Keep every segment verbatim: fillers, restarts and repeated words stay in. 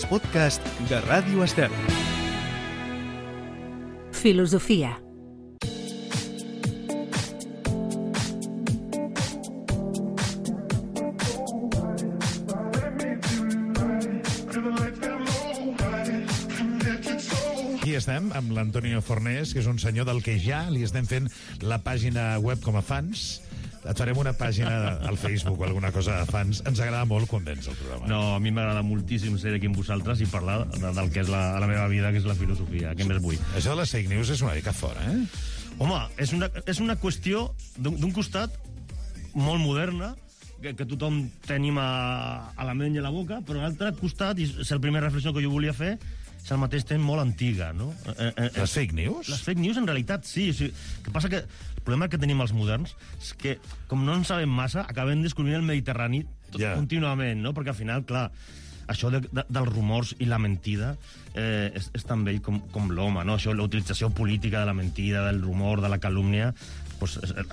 els podcasts de Ràdio Estel. Filosofia. Aquí estem amb l'Antonio Fornés, que és un senyor del que ja li estem fent la pàgina web com a fans. Et farem una pàgina al Facebook o alguna cosa de fans. Ens agrada molt quan vens al programa. No, a mi m'agrada moltíssim ser aquí amb vosaltres i parlar de, del que és la, la meva vida, que és la filosofia. Què més vull? Això de les fake news és una mica fora, eh? Home, és una, és una qüestió d'un costat molt moderna, que, que tothom tenim a, a la ment i a la boca, però a l'altre costat, i és la primera reflexió que jo volia fer, és al mateix temps molt antiga, no? Eh, eh, les fake news? Les fake news, en realitat, sí. O sigui, que passa que el problema que tenim els moderns és que, com no en sabem massa, acabem descobrint el Mediterrani tot, yeah. contínuament, no? Perquè al final, clar, això de, de, dels rumors i la mentida eh, és, és tan vell com, com l'home, no? Això, la utilització política de la mentida, del rumor, de la calúmnia, pues, el,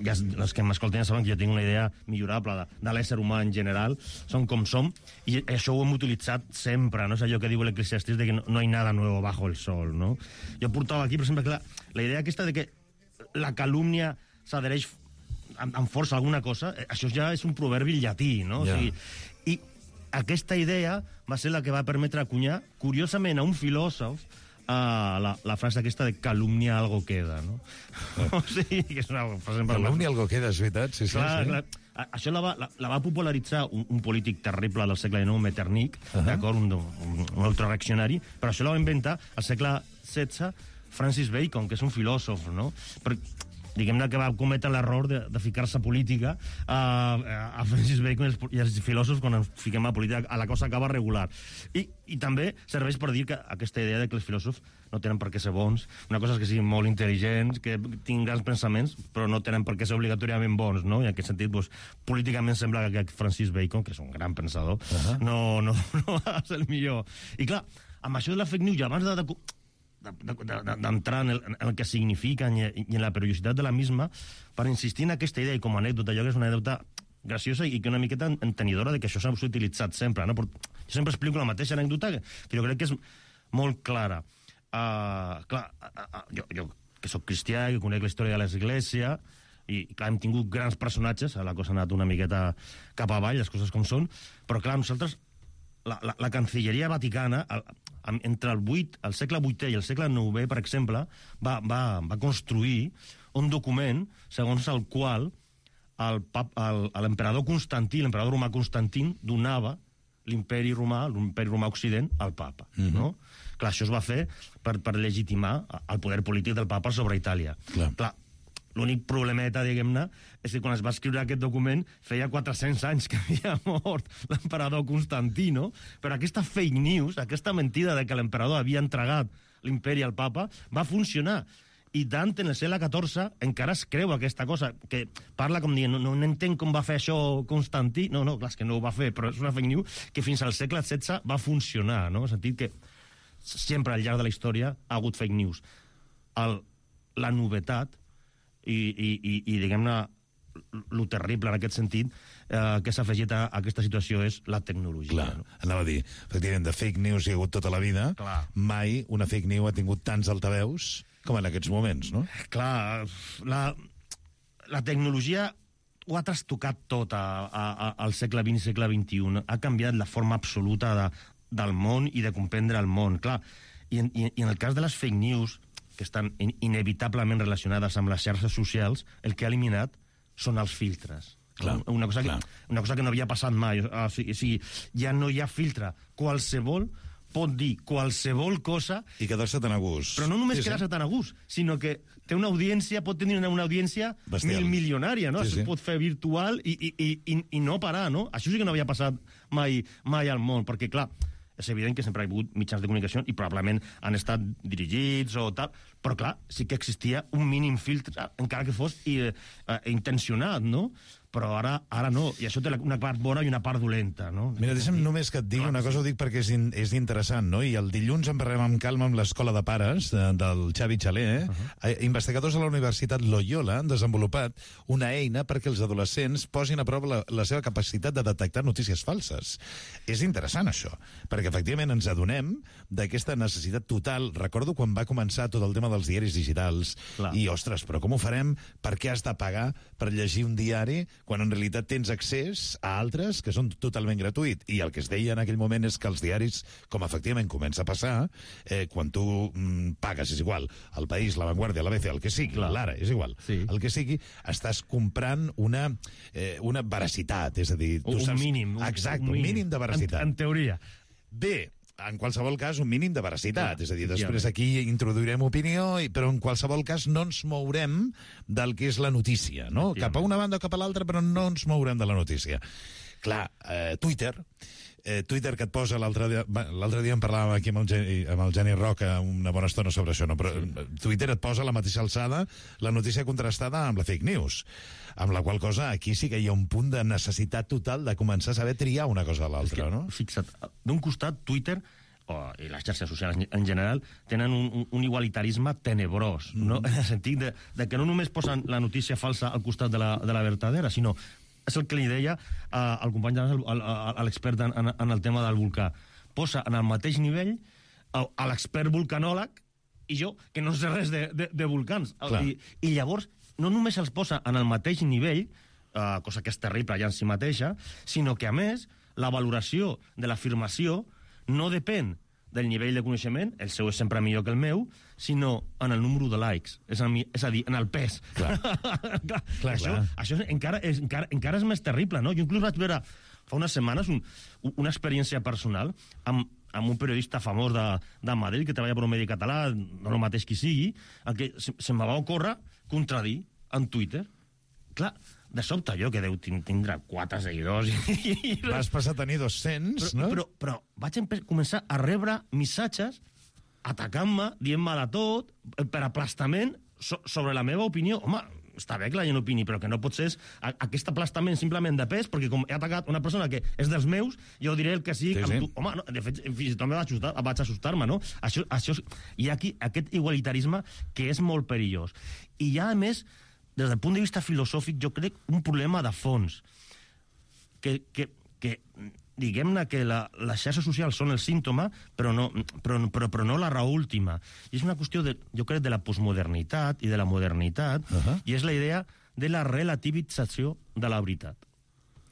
ja, els que m'escolten ja saben que jo tinc una idea millorable de, de l'ésser humà en general, som com som, i això ho hem utilitzat sempre, no? És allò que diu l'Eclesiastés, de que no, no hi ha nada nuevo bajo el sol, no? Jo portava aquí, per exemple, que la, la idea aquesta de que la calúmnia s'adhereix amb, amb força a alguna cosa, això ja és un proverbi llatí, no? Yeah. O sigui, i aquesta idea va ser la que va permetre acunyar, curiosament, a un filòsof, uh, la, la frase aquesta de calumnia algo queda, no? Eh. O sigui, que és una frase... Calumnia algo queda, és veritat, sí, sí. Clar, sí. clar. Això la va, la, la va popularitzar un, un polític terrible del segle dinou, Metternich, uh -huh. d'acord, un, un, un altre reaccionari, però això la va inventar al segle setze Francis Bacon, que és un filòsof, no? Però, diguem-ne que va cometre l'error de, de ficar-se a política a, a Francis Bacon i els, i els filòsofs, quan ens fiquem a política, a la cosa acaba regular. I, i també serveix per dir que aquesta idea de que els filòsofs no tenen per què ser bons, una cosa és que siguin molt intel·ligents, que tinguin grans pensaments, però no tenen per què ser obligatòriament bons, no? I en aquest sentit, doncs, políticament sembla que Francis Bacon, que és un gran pensador, uh -huh. no, no, no va ser el millor. I clar, amb això de la fake news, abans de... de d'entrar en, el, en el que significa i, i en la periodicitat de la misma, per insistir en aquesta idea i com a anècdota, allò que és una anècdota graciosa i que una miqueta entenidora de que això s'ha utilitzat sempre, no? Però jo sempre explico la mateixa anècdota que, que jo crec que és molt clara. Uh, clar, uh, uh, jo, jo que sóc cristià, que conec la història de l'Església, i clar, hem tingut grans personatges, la cosa ha anat una miqueta cap avall, les coses com són, però clar, nosaltres, la, la, la Cancilleria Vaticana, el, entre el, vuit, el segle vuitè i el segle nouè, per exemple, va, va, va construir un document segons el qual l'emperador Constantí, l'emperador romà Constantí, donava l'imperi romà, l'imperi romà occident, al papa. Mm-hmm. No? Clar, això es va fer per, per legitimar el poder polític del papa sobre Itàlia. Clar. Clar, l'únic problemeta, diguem-ne, és que quan es va escriure aquest document feia quatre-cents anys que havia mort l'emperador Constantí, no? Però aquesta fake news, aquesta mentida de que l'emperador havia entregat l'imperi al papa, va funcionar. I Dante, en el segle catorze, encara es creu aquesta cosa, que parla com dient, no, no entenc com va fer això Constantí. No, no, clar, és que no ho va fer, però és una fake news que fins al segle setze va funcionar, no? En el sentit que sempre al llarg de la història ha hagut fake news. El, la novetat i, i, i, i diguem-ne, lo terrible en aquest sentit eh, que s'ha afegit a aquesta situació és la tecnologia. Clar, no? Anava a dir, efectivament, de fake news hi ha hagut tota la vida. Clar. Mai una fake news ha tingut tants altaveus com en aquests moments, no? Clar, la, la tecnologia ho ha trastocat tot a, a, a, al segle vint i segle vint-i-u. Ha canviat la forma absoluta de, del món i de comprendre el món. Clar, i en, i en el cas de les fake news, que estan in, inevitablement relacionades amb les xarxes socials, el que ha eliminat són els filtres. Clar, una, cosa que, una cosa que no havia passat mai. O sigui, o sigui, ja no hi ha filtre. Qualsevol pot dir qualsevol cosa... I quedar-se tan a gust. Però no només sí, quedar-se sí. tan a gust, sinó que té una audiència, pot tenir una, una audiència Bestial. mil milionària, no? Sí, sí. Es pot fer virtual i, i, i, i, i no parar, no? Això sí que no havia passat mai, mai al món, perquè, clar, és evident que sempre hi ha hagut mitjans de comunicació i probablement han estat dirigits o tal, però clar, sí que existia un mínim filtre, encara que fos i, eh, intencionat, no? però ara, ara no, i això té una part bona i una part dolenta, no? Mira, deixa'm només que et digui una cosa, ho dic perquè és, in, és interessant, no? I el dilluns en parlem amb calma amb l'Escola de Pares de, del Xavi Xalé, eh? Uh -huh. Investigadors de la Universitat Loyola han desenvolupat una eina perquè els adolescents posin a prova la, la seva capacitat de detectar notícies falses. És interessant, això, perquè efectivament ens adonem d'aquesta necessitat total. Recordo quan va començar tot el tema dels diaris digitals. Clar. I, ostres, però com ho farem? Per què has de pagar per llegir un diari quan en realitat tens accés a altres que són totalment gratuïts? I el que es deia en aquell moment és que els diaris, com efectivament comença a passar, eh, quan tu mm, pagues, és igual, El País, La Vanguardia, l'A B C, el que sigui, l'Ara, és igual, sí. el que sigui, estàs comprant una, eh, una veracitat, és a dir... Tu un saps... mínim. Exacte, un mínim, un mínim de veracitat. En, en teoria. Bé, en qualsevol cas, un mínim de veracitat. És a dir, després aquí introduirem opinió, però en qualsevol cas no ens mourem del que és la notícia, no? Cap a una banda o cap a l'altra, però no ens mourem de la notícia. Clar, eh, Twitter... Eh, Twitter que et posa l'altre dia... L'altre dia en parlàvem aquí amb el, Geni, amb el Geni Roca una bona estona sobre això, no? Però sí. Twitter et posa a la mateixa alçada la notícia contrastada amb la fake news, amb la qual cosa aquí sí que hi ha un punt de necessitat total de començar a saber triar una cosa a l'altra, no? Fixa't, d'un costat, Twitter o, i les xarxes socials en general tenen un, un, un igualitarisme tenebrós, mm. no? En el sentit de, de que no només posen la notícia falsa al costat de la, de la vertadera, sinó... És el que li deia uh, al company, a l'expert en, en, en el tema del volcà. Posa en el mateix nivell a, a l'expert volcanòleg i jo, que no sé res de, de, de volcans. I, I llavors, no només els posa en el mateix nivell, uh, cosa que és terrible ja en si mateixa, sinó que, a més, la valoració de l'afirmació no depèn del nivell de coneixement, el seu és sempre millor que el meu, sinó en el número de likes, és a, és a dir, en el pes. Clar. clar, clar, això clar. això encara, és, encara, encara és més terrible, no? Jo inclús vaig veure fa unes setmanes un, una experiència personal amb, amb un periodista famós de, de Madrid que treballa per un medi català, no el mateix qui sigui, el que se, se me va ocórrer contradir en Twitter. Clar, de sobte jo, que deu tindre quatre seguidors... I, i vas passar a tenir dos-cents, però, no? Però, però vaig començar a rebre missatges atacant-me, dient-me de tot, per aplastament so, sobre la meva opinió. Home, està bé que la gent opini, però que no pot ser a, aquest aplastament simplement de pes, perquè com he atacat una persona que és dels meus, jo diré el que sigui... Sí, sí. Tu. Home, no, de fet, fins i tot me vaig assustar, vaig assustar-me, no? Això, això, hi ha aquí aquest igualitarisme que és molt perillós. I hi ha, a més, des del punt de vista filosòfic, jo crec un problema de fons, que, que, que diguem-ne que la, les xarxes socials són el símptoma, però no, però, però, però no la raó última. I és una qüestió, de, jo crec, de la postmodernitat i de la modernitat, uh -huh. i és la idea de la relativització de la veritat.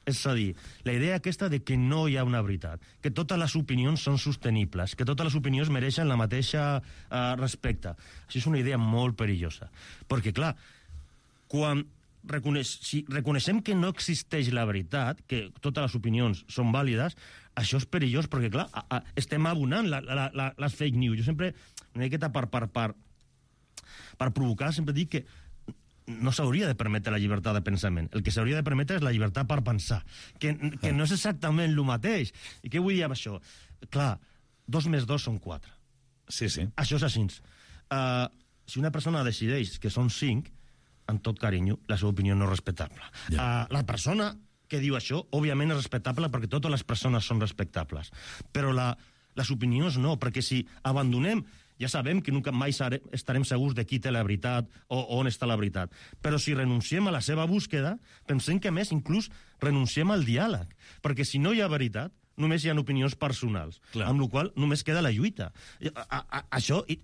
És a dir, la idea aquesta de que no hi ha una veritat, que totes les opinions són sostenibles, que totes les opinions mereixen la mateixa uh, respecte. Això és una idea molt perillosa. Perquè, clar, quan reconeix, si reconeixem que no existeix la veritat, que totes les opinions són vàlides, això és perillós, perquè, clar, a, a, estem abonant la, la, la, les fake news. Jo sempre, una miqueta per, per, per, per provocar, sempre dic que no s'hauria de permetre la llibertat de pensament. El que s'hauria de permetre és la llibertat per pensar, que, que no és exactament el mateix. I què vull dir amb això? Clar, dos més dos són quatre. Sí, sí. Això és així. Uh, si una persona decideix que són cinc, en tot carinyo, la seva opinió no és respectable. Ja. Uh, la persona que diu això, òbviament és respectable perquè totes les persones són respectables. Però la, les opinions no, perquè si abandonem, ja sabem que nunca mai estarem segurs de qui té la veritat o, o on està la veritat. Però si renunciem a la seva búsqueda, pensem que, a més, inclús renunciem al diàleg. Perquè si no hi ha veritat, només hi ha opinions personals. Clar. Amb la qual cosa només queda la lluita. A, a, a, això, i,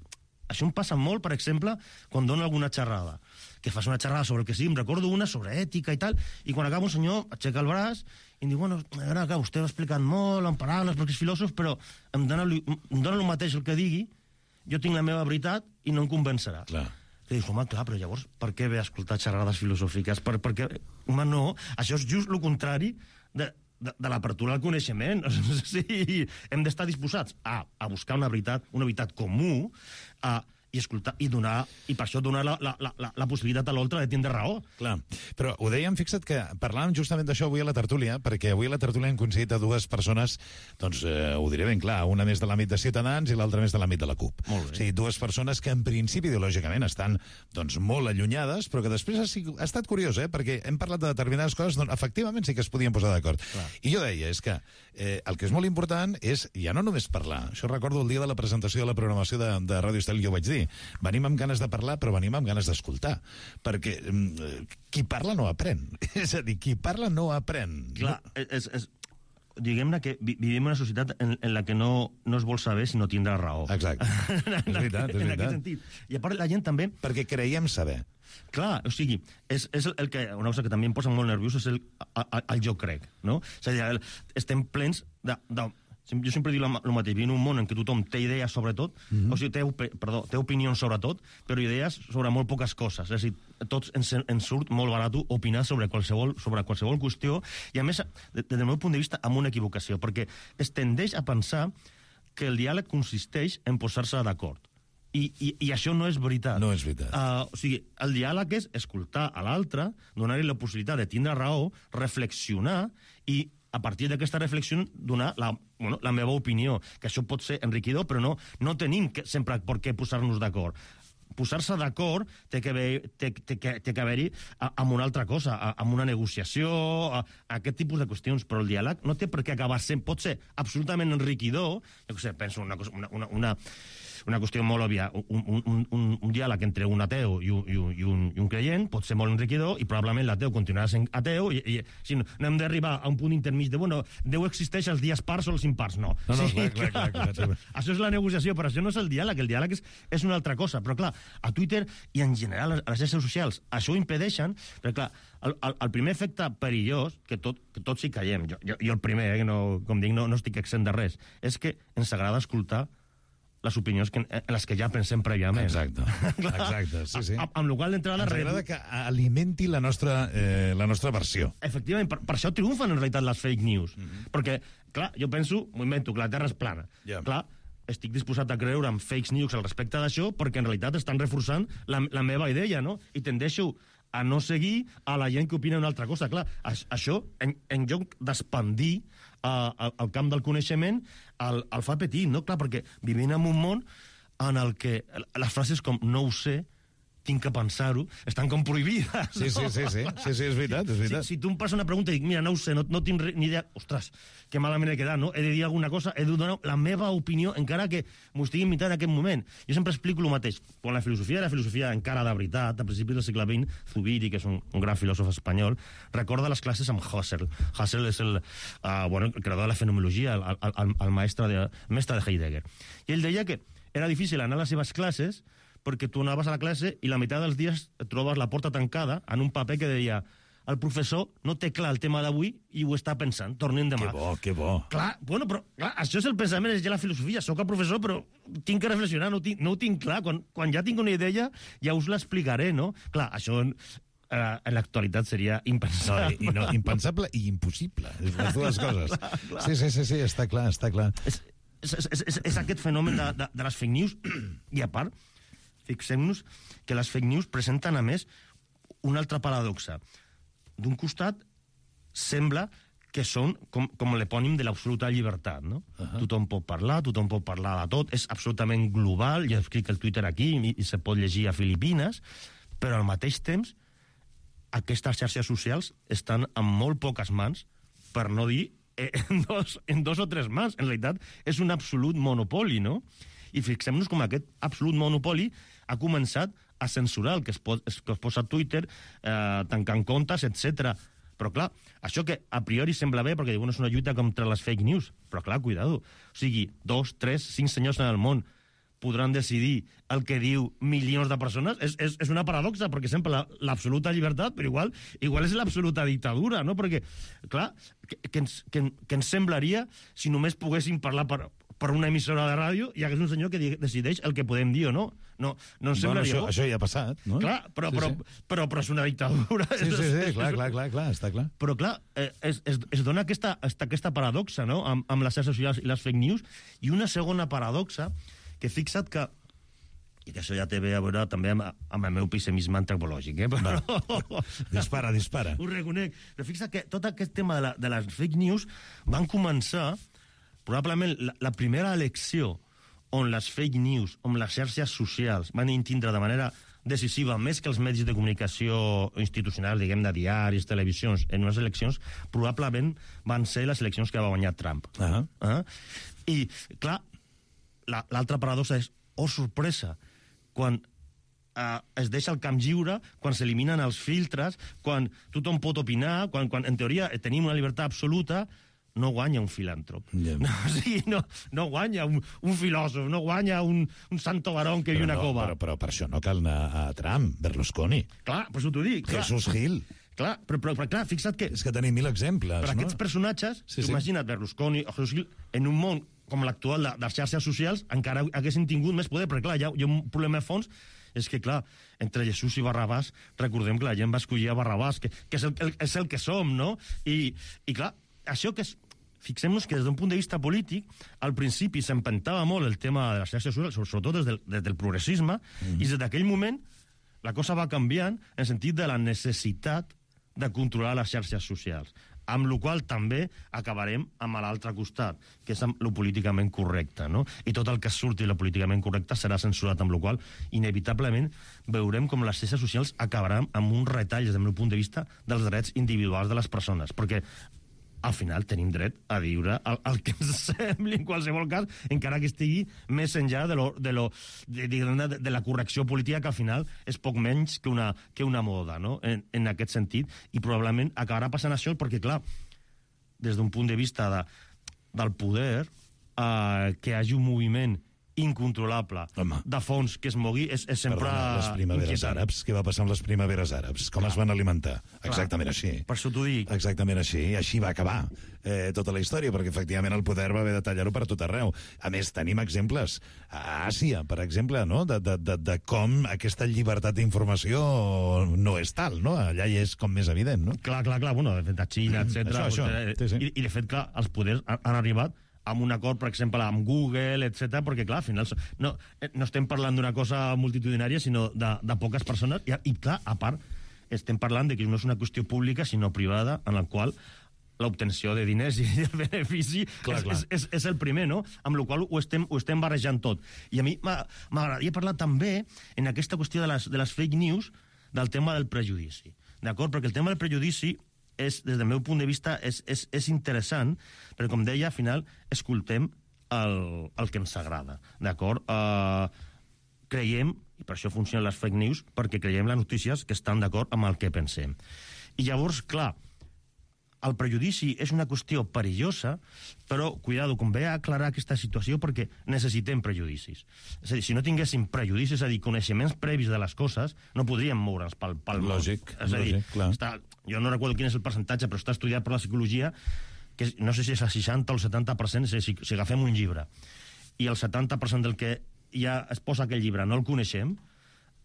això em passa molt, per exemple, quan dono alguna xerrada. Que fas una xerrada sobre el que sigui, em recordo una sobre ètica i tal, i quan acaba un senyor aixeca el braç i em diu, bueno, ara que vostè ho ha explicat molt en paraules perquè és filòsof, però em dona, em dona el mateix el que digui, jo tinc la meva veritat i no em convencerà. Clar. I dius, home, clar, però llavors per què ve a escoltar xerrades filosòfiques? Per, perquè, home, no, això és just el contrari de, de, de l'apertura al coneixement. Sí, hem d'estar disposats a, a buscar una veritat, una veritat comú, a i escoltar, i donar, i per això donar la, la, la, la possibilitat a l'altre de tindre raó. Clar, però ho dèiem, fixa't que parlàvem justament d'això avui a la tertúlia, perquè avui a la tertúlia hem coincidit a dues persones, doncs eh, ho diré ben clar, una més de l'àmbit de Ciutadans i l'altra més de l'àmbit de la CUP. Molt bé. O sigui, dues persones que en principi ideològicament estan doncs, molt allunyades, però que després ha, sigut, ha estat curiós, eh, perquè hem parlat de determinades coses, doncs efectivament sí que es podien posar d'acord. I jo deia, és que eh, el que és molt important és ja no només parlar, això recordo el dia de la presentació de la programació de, de Ràdio Estel, jo vaig dir, venim amb ganes de parlar, però venim amb ganes d'escoltar. Perquè eh, qui parla no aprèn. És a dir, qui parla no aprèn. Clar, no? és, és, diguem-ne que vi vivim en una societat en, en la que no, no es vol saber si no tindrà raó. Exacte. és veritat, és en veritat. aquest sentit. I a part, la gent també... Perquè creiem saber. Clar, o sigui, és, és el que, una cosa que també em posa molt nerviós és el, el, el jo crec, no? És a dir, el, estem plens de... de jo sempre dic el mateix, vivim en un món en què tothom té idees sobre tot, mm -hmm. o sigui, té, perdó, té opinions sobre tot, però idees sobre molt poques coses. És a dir, tots ens, ens surt molt barat opinar sobre qualsevol, sobre qualsevol qüestió, i a més, des del meu punt de vista, amb una equivocació, perquè es tendeix a pensar que el diàleg consisteix en posar-se d'acord. I, i, I això no és veritat. No és veritat. Uh, o sigui, el diàleg és escoltar a l'altre, donar-li la possibilitat de tindre raó, reflexionar i a partir d'aquesta reflexió donar la, bueno, la meva opinió, que això pot ser enriquidor, però no, no tenim que, sempre per què posar-nos d'acord. Posar-se d'acord té que haver-hi té, té, té que haver-hi amb una altra cosa, amb una negociació, a, a aquest tipus de qüestions, però el diàleg no té per què acabar sent, pot ser absolutament enriquidor, jo què sé, penso una cosa, una, una, una una qüestió molt òbvia, un, un, un, un diàleg entre un ateu i un, i, un, i, un, i un creient pot ser molt enriquidor i probablement l'ateu continuarà sent ateu i, i si no, no hem d'arribar a un punt intermig de, bueno, Déu existeix els dies pars o els impars, no. No, no, sí, clar, clar, clar, clar, clar. Això és la negociació, però això no és el diàleg, el diàleg és, és una altra cosa, però clar, a Twitter i en general a les xarxes socials això ho impedeixen, perquè clar, el, el, el primer efecte perillós, que, tot, que tots hi caiem, jo, jo, jo el primer, eh, que no, com dic, no, no estic exempt de res, és que ens agrada escoltar les opinions que, en les que ja pensem prèviament. Exacte, exacte, sí, sí. A, amb la qual d'entrada... Ens agrada que alimenti la nostra, eh, la nostra versió. Efectivament, per, per això triomfen en realitat les fake news. Mm -hmm. Perquè, clar, jo penso, m'ho invento, que la Terra és plana. Yeah. Clar, estic disposat a creure en fake news al respecte d'això perquè en realitat estan reforçant la, la meva idea, no? I tendeixo a no seguir a la gent que opina una altra cosa. Clar, això, en, en lloc d'expandir uh, el, el camp del coneixement, el, el fa petit, no? Clar, perquè vivim en un món en el que les frases com no ho sé, tinc que pensar-ho, estan com prohibides. Sí, sí, sí, sí, sí, sí, és veritat, és veritat. Si, si tu em passes una pregunta i dic, mira, no ho sé, no, no tinc ni idea, ostres, que malament he quedat, no? He de dir alguna cosa, he de donar la meva opinió, encara que m'ho estigui imitant en aquest moment. Jo sempre explico el mateix. Quan la filosofia era filosofia encara de veritat, a principis del segle vint, Zubiri, que és un, un gran filòsof espanyol, recorda les classes amb Husserl. Husserl és el, uh, bueno, el creador de la fenomenologia, el, el, el, el mestre, de, mestre de Heidegger. I ell deia que era difícil anar a les seves classes perquè tu anaves a la classe i la meitat dels dies et trobes la porta tancada en un paper que deia el professor no té clar el tema d'avui i ho està pensant, tornem demà. Que bo, que bo. Clar, bueno, però clar, això és el pensament, és ja la filosofia. Soc el professor, però tinc que reflexionar, no ho tinc, no ho tinc clar. Quan, quan ja tinc una idea, ja us l'explicaré, no? Clar, això en, eh, en l'actualitat seria impensable. No, i, no, impensable i impossible, les dues coses. Clar, clar. Sí, sí, sí, sí, està clar, està clar. És, és, és, és, és aquest fenomen de, de, de les fake news, i a part, fixem-nos que les fake news presenten, a més, una altra paradoxa. D'un costat, sembla que són com, com l'epònim de l'absoluta llibertat, no? Uh -huh. Tothom pot parlar, tothom pot parlar de tot, és absolutament global, ja escric el Twitter aquí i, i se pot llegir a Filipines, però al mateix temps aquestes xarxes socials estan en molt poques mans, per no dir en dos, en dos o tres mans. En realitat, és un absolut monopoli, no? I fixem-nos com aquest absolut monopoli ha començat a censurar el que es, pot, que es posa a Twitter, eh, tancant comptes, etcètera. Però, clar, això que a priori sembla bé, perquè diuen és una lluita contra les fake news, però, clar, cuidado. O sigui, dos, tres, cinc senyors en el món podran decidir el que diu milions de persones, és, és, és una paradoxa, perquè sempre l'absoluta la, llibertat, però igual igual és l'absoluta dictadura, no? Perquè, clar, que, que, ens, que, que ens semblaria si només poguéssim parlar per, per una emissora de ràdio i hagués un senyor que decideix el que podem dir o no. No, no ens bueno, semblaria... Això, això ja ha passat, no? Clar, però, sí, però, sí. Però, però és una dictadura. Sí, sí, sí, clar, clar, clar, clar, està clar. Però, clar, eh, es, es, es dona aquesta, aquesta paradoxa, no?, amb, amb les xarxes socials i les fake news, i una segona paradoxa, que fixa't que i que això ja té bé a veure també amb, amb el meu pessimisme antropològic, eh? Però... dispara, dispara. Ho reconec. Però fixa't que tot aquest tema de, la, de les fake news van començar, probablement, la, la primera elecció on les fake news, on les xarxes socials van tindre de manera decisiva, més que els medis de comunicació institucionals, diguem, de diaris, televisions, en unes eleccions, probablement van ser les eleccions que va guanyar Trump. Uh -huh. Uh -huh. I, clar, l'altra paradoxa és, oh, sorpresa, quan eh, es deixa el camp lliure, quan s'eliminen els filtres, quan tothom pot opinar, quan, quan en teoria tenim una llibertat absoluta, no guanya un filàntrop. Yeah. No, o sigui, no, no guanya un, un filòsof, no guanya un, un santo varón que viu una no, cova. Però, però per això no cal anar a Trump, Berlusconi. Clar, per això t'ho dic. Clar. Jesús Gil. Clar, però, però, però clar, fixa't que... És que tenim mil exemples, per no? aquests personatges, sí, sí. imagina't Berlusconi o Jesús Gil, en un món com l'actual de, de les xarxes socials, encara haguessin tingut més poder, perquè clar, hi ha, hi ha un problema de fons, és que, clar, entre Jesús i Barrabàs, recordem que la gent va escollir a Barrabàs, que, que és, el, el, és el que som, no? I, i clar, això que és... Fixem-nos que des d'un punt de vista polític, al principi s'empentava molt el tema de les xarxes socials, sobretot des del, des del progressisme, mm. i des d'aquell moment la cosa va canviant en el sentit de la necessitat de controlar les xarxes socials, amb la qual també acabarem amb l'altre costat, que és amb lo políticament correcte, no? I tot el que surti de lo políticament correcte serà censurat, amb la qual inevitablement veurem com les xarxes socials acabaran amb un retall, des del meu punt de vista, dels drets individuals de les persones, perquè al final tenim dret a viure el, el que ens sembli en qualsevol cas, encara que estigui més enllà de, lo, de, lo, de, de, de la correcció política, que al final és poc menys que una, que una moda, no? En, en aquest sentit, i probablement acabarà passant això perquè, clar, des d'un punt de vista de, del poder, eh, que hi hagi un moviment incontrolable, Home. de fons que es mogui, és, és sempre... Perdona, les primaveres inquietant. àrabs, què va passar amb les primaveres àrabs? Com Clar. es van alimentar? Clar. Exactament així. Per això t'ho dic. Exactament així, i així va acabar eh, tota la història, perquè efectivament el poder va haver de tallar-ho per tot arreu. A més, tenim exemples a Àsia, per exemple, no? de, de, de, de com aquesta llibertat d'informació no és tal, no? Allà hi és com més evident, no? Clar, clar, clar, bueno, de fet, a Xina, etcètera. Això, això. Sí, sí. I, I, de fet, clar, els poders han, han arribat amb un acord, per exemple, amb Google, etcètera, perquè, clar, al final no, no estem parlant d'una cosa multitudinària, sinó de, de poques persones, i, i, clar, a part, estem parlant de que no és una qüestió pública, sinó privada, en la qual l'obtenció de diners i el benefici clar, és, clar. És, és, és el primer, no? Amb la qual ho estem, ho estem barrejant tot. I a mi m'agradaria parlar també, en aquesta qüestió de les, de les fake news, del tema del prejudici, d'acord? Perquè el tema del prejudici és, des del meu punt de vista, és, és, és interessant, perquè, com deia, al final, escoltem el, el que ens agrada, d'acord? Uh, creiem, i per això funcionen les fake news, perquè creiem les notícies que estan d'acord amb el que pensem. I llavors, clar, el prejudici és una qüestió perillosa, però, cuidado, convé aclarar aquesta situació perquè necessitem prejudicis. És a dir, si no tinguéssim prejudicis, és a dir, coneixements previs de les coses, no podríem moure'ns pel, pel món. Lògic, és a dir, lògic, clar. Està, jo no recordo quin és el percentatge, però està estudiat per la psicologia, que no sé si és el seixanta o el setanta per cent, si, si agafem un llibre, i el setanta per cent del que ja es posa aquell llibre no el coneixem,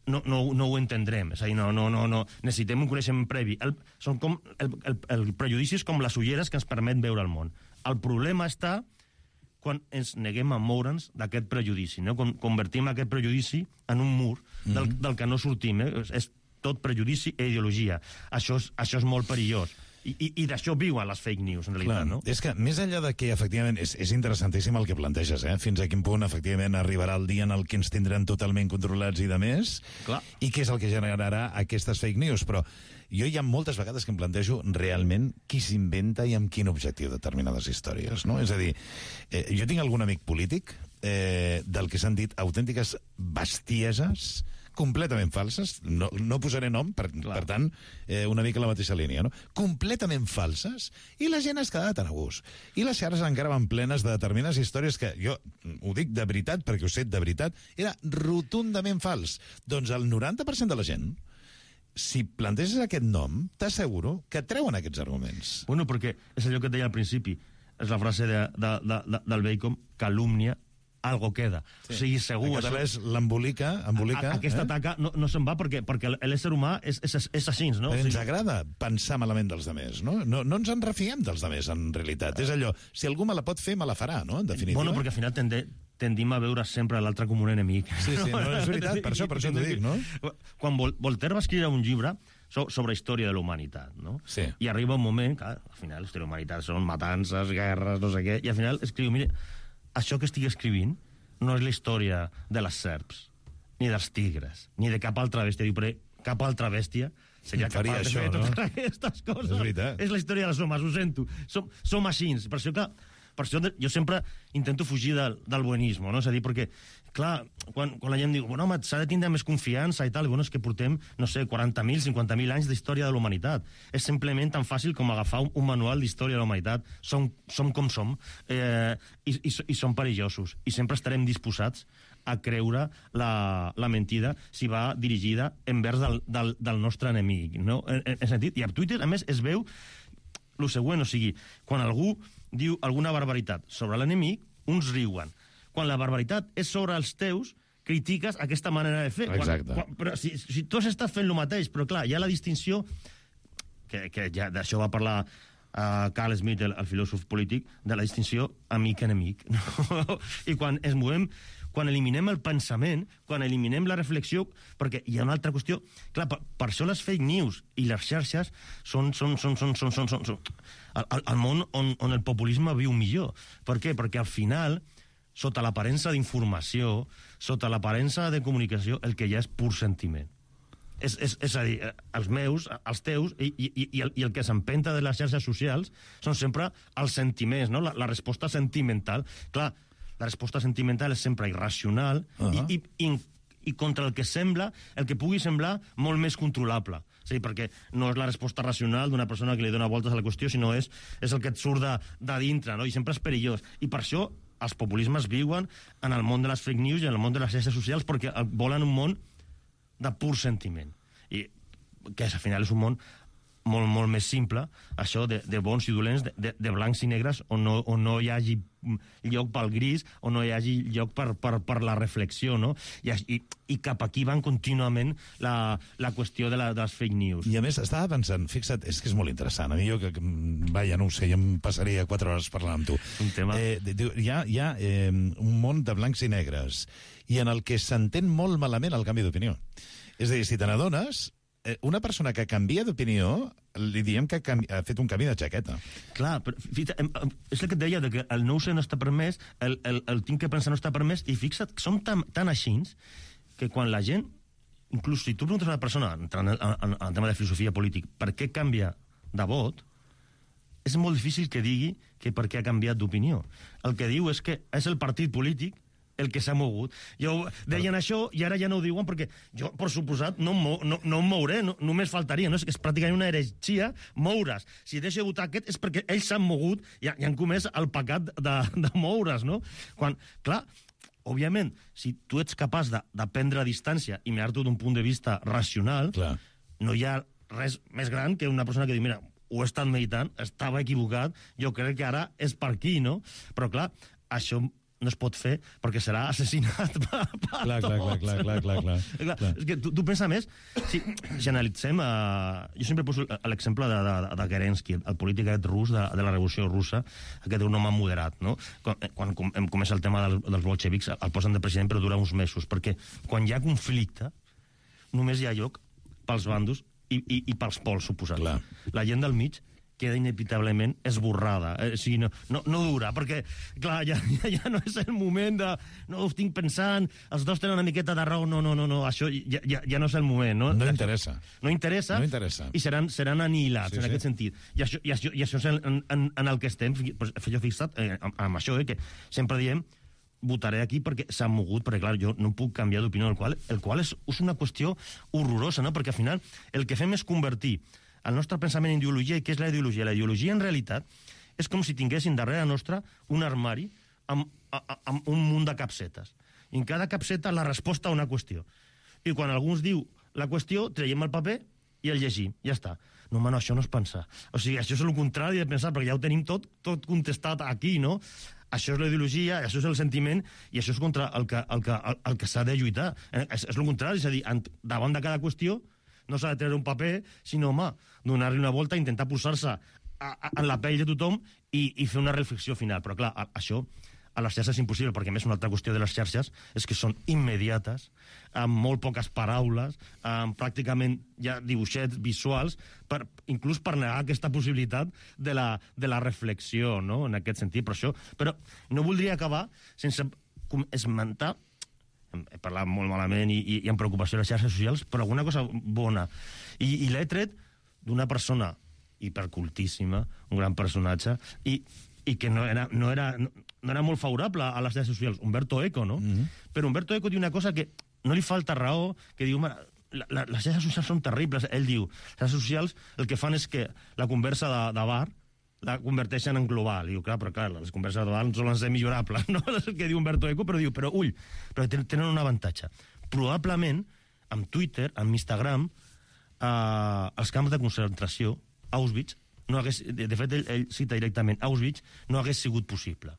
no, no, no ho entendrem. És a dir, no, no, no, no. Necessitem un coneixement previ. El, són com, el, el, el prejudici és com les ulleres que ens permet veure el món. El problema està quan ens neguem a moure'ns d'aquest prejudici, no? Quan convertim aquest prejudici en un mur del, mm-hmm. del que no sortim. Eh? És, és tot prejudici i ideologia. Això és, això és molt perillós. I, i, i d'això viuen les fake news, en realitat, Clar, no? És que, més enllà de que, efectivament, és, és interessantíssim el que planteges, eh? Fins a quin punt, efectivament, arribarà el dia en el que ens tindran totalment controlats i de més, Clar. i què és el que generarà aquestes fake news, però jo hi ha moltes vegades que em plantejo realment qui s'inventa i amb quin objectiu determinades històries, no? És a dir, eh, jo tinc algun amic polític eh, del que s'han dit autèntiques bestieses completament falses, no, no posaré nom, per, per tant, eh, una mica la mateixa línia, no? Completament falses, i la gent es quedava tan a gust. I les xarxes encara van plenes de determinades històries que, jo ho dic de veritat, perquè ho sé de veritat, era rotundament fals. Doncs el noranta per cent de la gent, si planteges aquest nom, t'asseguro que treuen aquests arguments. Bueno, perquè és allò que et deia al principi, és la frase de, de, de, de, del Bacon, calúmnia, algo queda. Sí. O sigui, segur... En català és l'embolica, embolica... A, aquesta eh? taca no, no se'n va perquè, perquè l'ésser humà és, és, és així, no? Ens o sigui... agrada pensar malament dels demés, no? No, no ens en refiem dels demés, en realitat. És allò, si algú me la pot fer, me la farà, no? En definitiva. Bueno, perquè al final tende, tendim a veure sempre l'altre com un enemic. Sí, sí, no, és veritat, per això, per això t'ho dic, no? Quan Vol Voltaire va escriure un llibre so sobre història de la humanitat, no? Sí. I arriba un moment que, al final, la història de la humanitat són matances, guerres, no sé què, i al final escriu, mire, això que estic escrivint no és la història de les serps, ni dels tigres, ni de cap altra bèstia. Diu, però cap altra bèstia seria faria capaç de això, fer no? totes aquestes coses. És veritat. És la història dels homes, ho sento. Som, som així. Per això, clar, per això jo sempre intento fugir del, del buenisme, no? És a dir, perquè, clar, quan, quan la gent diu, bueno, home, s'ha de tindre més confiança i tal, i bueno, és que portem, no sé, quaranta mil, cinquanta mil anys d'història de la humanitat. És simplement tan fàcil com agafar un, un manual d'història de la humanitat. Som, som com som, eh, i, i, i som perillosos. I sempre estarem disposats a creure la, la mentida si va dirigida envers del, del, del nostre enemic, no? En, en, en sentit, i a Twitter, a més, es veu el següent, o sigui, quan algú diu alguna barbaritat sobre l'enemic, uns riuen. Quan la barbaritat és sobre els teus, critiques aquesta manera de fer. Exacte. Quan, quan, però si, si tu has estat fent el mateix, però clar, hi ha la distinció, que, que ja d'això va parlar uh, Carl Smith, el, el filòsof polític, de la distinció amic-enemic. No? I quan es movem, quan eliminem el pensament, quan eliminem la reflexió, perquè hi ha una altra qüestió. Clar, per, per això les fake news i les xarxes són, són, són, són, són, són, són, són el, el món on, on el populisme viu millor. Per què? Perquè al final, sota l'aparença d'informació, sota l'aparença de comunicació, el que hi ha és pur sentiment. És, és, és a dir, els meus, els teus, i, i, i, el, i el que s'empenta de les xarxes socials són sempre els sentiments, no? la, la resposta sentimental. Clar, la resposta sentimental és sempre irracional uh -huh. i, i, i, i contra el que sembla, el que pugui semblar molt més controlable. Sí, perquè no és la resposta racional d'una persona que li dona voltes a la qüestió, sinó és, és el que et surt de, de dintre, no? I sempre és perillós. I per això els populismes viuen en el món de les fake news i en el món de les xarxes socials, perquè volen un món de pur sentiment. I que al final és un món molt, molt més simple, això de, de bons i dolents, de, de, de blancs i negres, on no, on no hi hagi lloc pel gris, on no hi hagi lloc per, per, per la reflexió, no? I, i, i cap aquí van contínuament la, la qüestió de, la, de les fake news. I a més, estava pensant, fixa't, és que és molt interessant. A mi jo, que, que vaja, no ho sé, jo em passaria quatre hores parlant amb tu. Un tema. Eh, diu, hi ha, hi ha eh, un món de blancs i negres, i en el que s'entén molt malament el canvi d'opinió. És a dir, si te n'adones, una persona que canvia d'opinió, li diem que ha fet un canvi de jaqueta. Clar, però fita, és el que et deia, que el no sé no està permès, el, el, el tinc que pensar no està permès, i fixa't, som tan, tan així que quan la gent, inclús si tu preguntes a una persona, entrant en, en, en el tema de filosofia política, per què canvia de vot, és molt difícil que digui que per què ha canviat d'opinió. El que diu és que és el partit polític el que s'ha mogut. Jo deien però... això i ara ja no ho diuen perquè jo, per suposat, no, no, no em mouré, no, només faltaria, no? És, és pràcticament una heretgia moure's. Si deixo de votar aquest és perquè ells s'han mogut i, i han comès el pecat de, de moure's, no? Quan, clar, òbviament, si tu ets capaç de, de prendre distància i mirar-t'ho d'un punt de vista racional, clar, no hi ha res més gran que una persona que diu, mira, ho he estat meditant, estava equivocat, jo crec que ara és per aquí, no? Però, clar, això no es pot fer perquè serà assassinat per, per clar, tots. Clar, clar, clar, clar, clar, clar. clar. És que tu, tu pensa més, si, si analitzem, uh, jo sempre poso l'exemple de, de, de Kerensky, el polític rus de, de la Revolució Russa, aquest és un home moderat, no? Quan, quan com, comença el tema del, dels bolxevics, el posen de president però dura uns mesos, perquè quan hi ha conflicte només hi ha lloc pels bandos i, i, i pels pols, suposat. Clar. La gent del mig queda inevitablement esborrada. Eh, o sigui, no, no, no dura, perquè, clar, ja, ja, ja no és el moment de... No, ho estic pensant, els dos tenen una miqueta de raó, no, no, no, no, això ja, ja, ja no és el moment, no? No interessa. No interessa, no interessa. I seran, seran anihilats, sí, en sí. aquest sentit. I això, i això, i això és en, en, en el que estem, pues, jo fixat eh, amb, amb això, eh, que sempre diem votaré aquí perquè s'han mogut, perquè clar, jo no puc canviar d'opinió, el qual, el qual és, és una qüestió horrorosa, no? Perquè al final el que fem és convertir el nostre pensament en ideologia. I què és la ideologia? La ideologia, en realitat, és com si tinguessin darrere nostra un armari amb, amb un munt de capsetes. I en cada capseta la resposta a una qüestió. I quan algú ens diu la qüestió, traiem el paper i el llegim. Ja està. No, home, no, això no és pensar. O sigui, això és el contrari de pensar, perquè ja ho tenim tot, tot contestat aquí, no? Això és la ideologia, això és el sentiment, i això és contra el que, el que, el, el que s'ha de lluitar. És, és el contrari, és a dir, davant de cada qüestió no s'ha de treure un paper, sinó, home, donar-li una volta, intentar posar-se en la pell de tothom i, i fer una reflexió final. Però, clar, això a les xarxes és impossible, perquè a més una altra qüestió de les xarxes és que són immediates, amb molt poques paraules, amb pràcticament ja dibuixets visuals, per, inclús per negar aquesta possibilitat de la, de la reflexió, no?, en aquest sentit. Però, això, però no voldria acabar sense esmentar, he parlat molt malament i, i, i amb preocupació de les xarxes socials, però alguna cosa bona. I, i l'he tret d'una persona hipercultíssima, un gran personatge, i, i que no era, no, era, no, no era molt favorable a les xarxes socials, Umberto Eco, no? Mm-hmm. Però Umberto Eco diu una cosa que no li falta raó, que diu, la, la, les xarxes socials són terribles. Ell diu, les xarxes socials el que fan és que la conversa de, de bar la converteixen en global. Diu, clar, però clar, les converses de bar solen ser millorables, no? És el que diu Umberto Eco, però diu, però ull, però tenen un avantatge. Probablement, amb Twitter, amb Instagram, eh, els camps de concentració, Auschwitz, no hagués, de, de fet, ell, ell cita directament, Auschwitz no hagués sigut possible.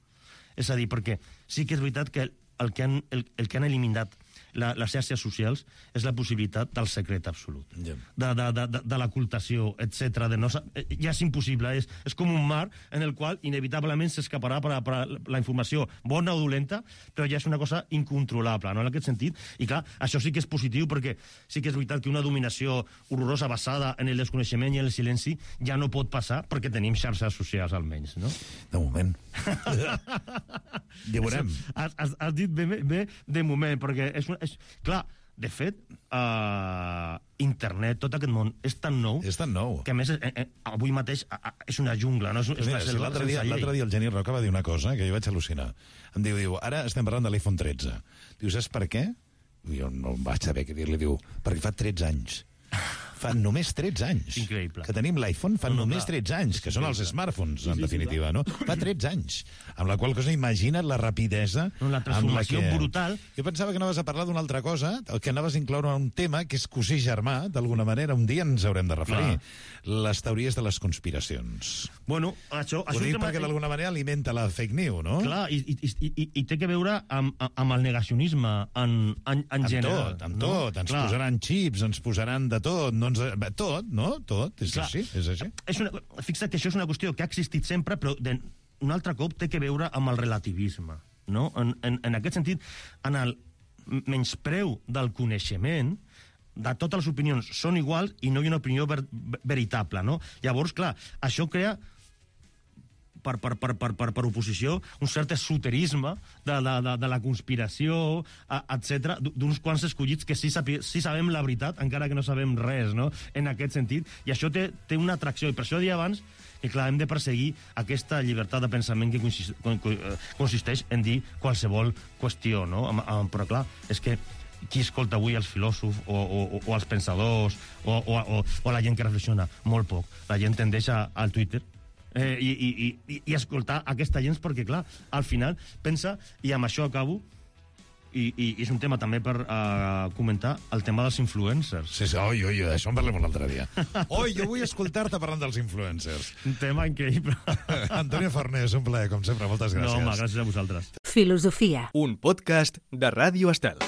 És a dir, perquè sí que és veritat que el, el, que, han, el, el que han eliminat la, les xarxes socials és la possibilitat del secret absolut, yeah. de, de, de, de l'ocultació, etcètera. De no, ja és impossible, és, és com un mar en el qual inevitablement s'escaparà per, per la informació bona o dolenta, però ja és una cosa incontrolable, no?, en aquest sentit. I clar, això sí que és positiu, perquè sí que és veritat que una dominació horrorosa basada en el desconeixement i en el silenci ja no pot passar, perquè tenim xarxes socials almenys, no? De moment. Ja veurem. Has, has, has dit bé, bé de moment, perquè és, una, és clar, de fet, uh, internet, tot aquest món, és tan nou... És tan nou. Que, a més, eh, eh, avui mateix uh, és una jungla, no? És, és una Mira, si l'altre dia, l'altre dia el Geni Roca va dir una cosa que jo vaig al·lucinar. Em diu, diu, ara estem parlant de l'iPhone tretze. Diu, saps per què? Jo no vaig saber què dir-li. Diu, perquè fa tretze anys. Fa només tretze anys. Increïble. Que tenim l'iPhone fa no, no, només tretze anys, que són els smartphones, en sí, definitiva, sí, no? Fa tretze anys. Amb la qual cosa, imagina't la rapidesa... No, la transformació amb la que... brutal. Jo pensava que anaves a parlar d'una altra cosa, que anaves a incloure un tema que és cosí germà, d'alguna manera, un dia ens haurem de referir. Clar. Les teories de les conspiracions. Bueno, això... Ho dic perquè d'alguna manera alimenta la fake news, no? Clar, i, i, i, i té que veure amb, amb el negacionisme en, en, en amb general. Tot, amb no? tot. Ens Clar. posaran xips, ens posaran de tot, no ens... tot, no? Tot, és Clar. així, és així. És una, fixa't que això és una qüestió que ha existit sempre, però de, un altre cop té que veure amb el relativisme, no? En, en, en aquest sentit, en el menyspreu del coneixement, de totes les opinions són iguals i no hi ha una opinió ver, veritable, no? Llavors, clar, això crea per, per, per, per, per, per oposició un cert esoterisme de, de, de, de la conspiració, etcètera, d'uns quants escollits que sí, sabi, sí sabem la veritat, encara que no sabem res, no?, en aquest sentit. I això té, té una atracció, i per això deia abans que, clar, hem de perseguir aquesta llibertat de pensament que consisteix en dir qualsevol qüestió, no? Però, clar, és que qui escolta avui els filòsofs o, o, o els pensadors o, o, o, o la gent que reflexiona? Molt poc. La gent tendeix a, al Twitter eh, i, i, i, i escoltar aquesta gent perquè, clar, al final pensa, i amb això acabo, i, i és un tema també per uh, comentar el tema dels influencers. Sí, sí, oi, oi, d'això en parlem un altre dia. Oi, jo vull escoltar-te parlant dels influencers. Un tema increïble. Antonio Fornés, un plaer, com sempre, moltes gràcies. No, home, gràcies a vosaltres. Filosofia. Un podcast de Ràdio Estel.